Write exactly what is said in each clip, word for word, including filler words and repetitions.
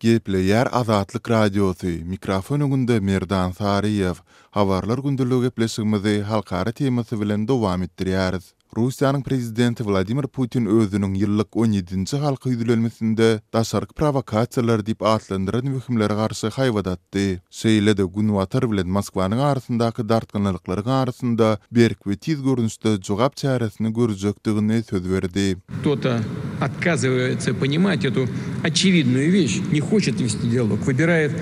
Gepleýär Azatlyk Radiosy, mikrofon öňünde Merdan Saryýew. Habarlar gündeligi gepleşigimizi halkara temasy bilen dowam etdirýäris. Russiýanyň prezidenti Wladimir Putin özüniň ýyllyk on ýedinji halka ýüzlenmesinde daşarky prowokasiýalar diýip atlandyran wehimlere garşy haýbat atdy. Şeýle-de Günbatar bilen Moskwanyň arasyndaky dartgynlyklaryň arasynda berk we tiz görnüşde jogap çäresini görjekdigini söz berdi. Кто-то отказывается понимать эту очевидную вещь, не хочет вести диалог, выбирает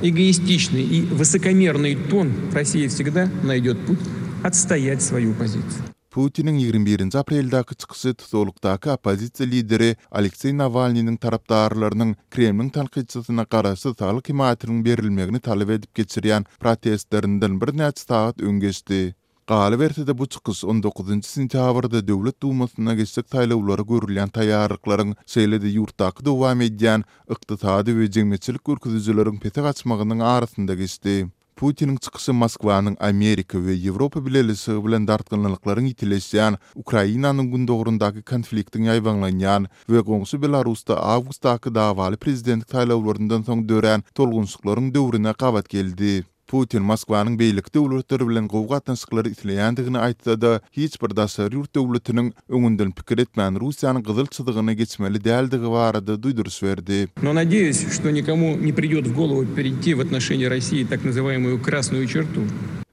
эгоистичный и высокомерный тон. Россия всегда найдет путь отстоять свою позицию. Putiniň ýigrimi birinji apreldäki çykyşy tutuklukdaky oppozisiýa lideri Alekseý Nawalnynyň tarapdarlarynyň Kremliň tankytçysyna garaşsyz saglyk hemaýatynyň berilmegini talap edip geçirýän protestlerinden birnäçe sagat öň geçdi. Galyberse-de bu çykyş on dokuzynjy sentýabrda Döwlet Dumasyna geçjek saýlawlara görülýän taýýarlyklaryň, şeýle-de ýurtdaky dowam edýän ykdysady we jemgyýetçilik görkezijileriň pese gaçmagynyň arasynda geçdi. Putiniň çykyşy Moskwanyň Amerika we Ýewropa Bileleşigi bilen dartgynlyklaryň ýitileşýän, Ukrainanyň gündogrundaky konfliktiň ýaýbaňlanýan we goňşy Belarusda awgustdaky dawaly prezidentlik saýlawlaryndan soň dörän tolgunşyklaryň döwrüne gabat geldi. Putin Moskwanyň beýleki döwletler bilen gowy gatnaşyklary isleýändigini aýtsa-da, hiç bir daşary ýurt döwletiniň öňünden pikir etmän Russiýanyň gyzyl çyzygyny geçmeli däldigi barada duýduryş berdi. Но надеюсь, что никому не придет в голову перейти в отношении России так называемую красную черту.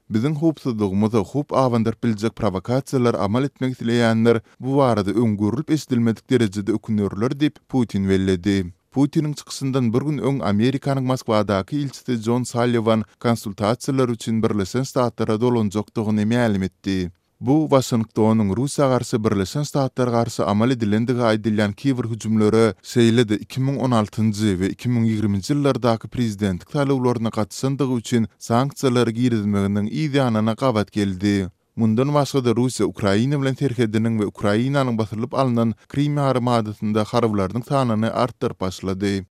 Biziň howpsuzlygymyza howp abandyryp biljek prowokasiýalar amal etmek isleýänler bu barada öň görülip eşidilmedik derejede ökünerler diýip Putin belledi. Putiniň çykyşyndan bir gün öň Amerikanyň Moskwadaky ilçisi John Sullivan konsultasiýalar üçin Birleşen Ştatlara dolanjakdygyny mälim etdi. Bu Waşingtonyň Russiýa garşy Birleşen Ştatlara garşy amal edilendigi aýdylýan kiber hüjümlere, şeýle-de iki müň on altynjy we iki müň ýigriminji ýyllardaky prezidentlik saýlawlaryna gatyşandygy üçin sanksiýalary girizmeginiň yz ýanyna gabat geldi. Mundan başga-da Russiýa Ukraina bilen serhediniň we Ukrainanyň basylyp alnan Krim ýarymadasynda harbylarynyň sanyny artdyryp başlady.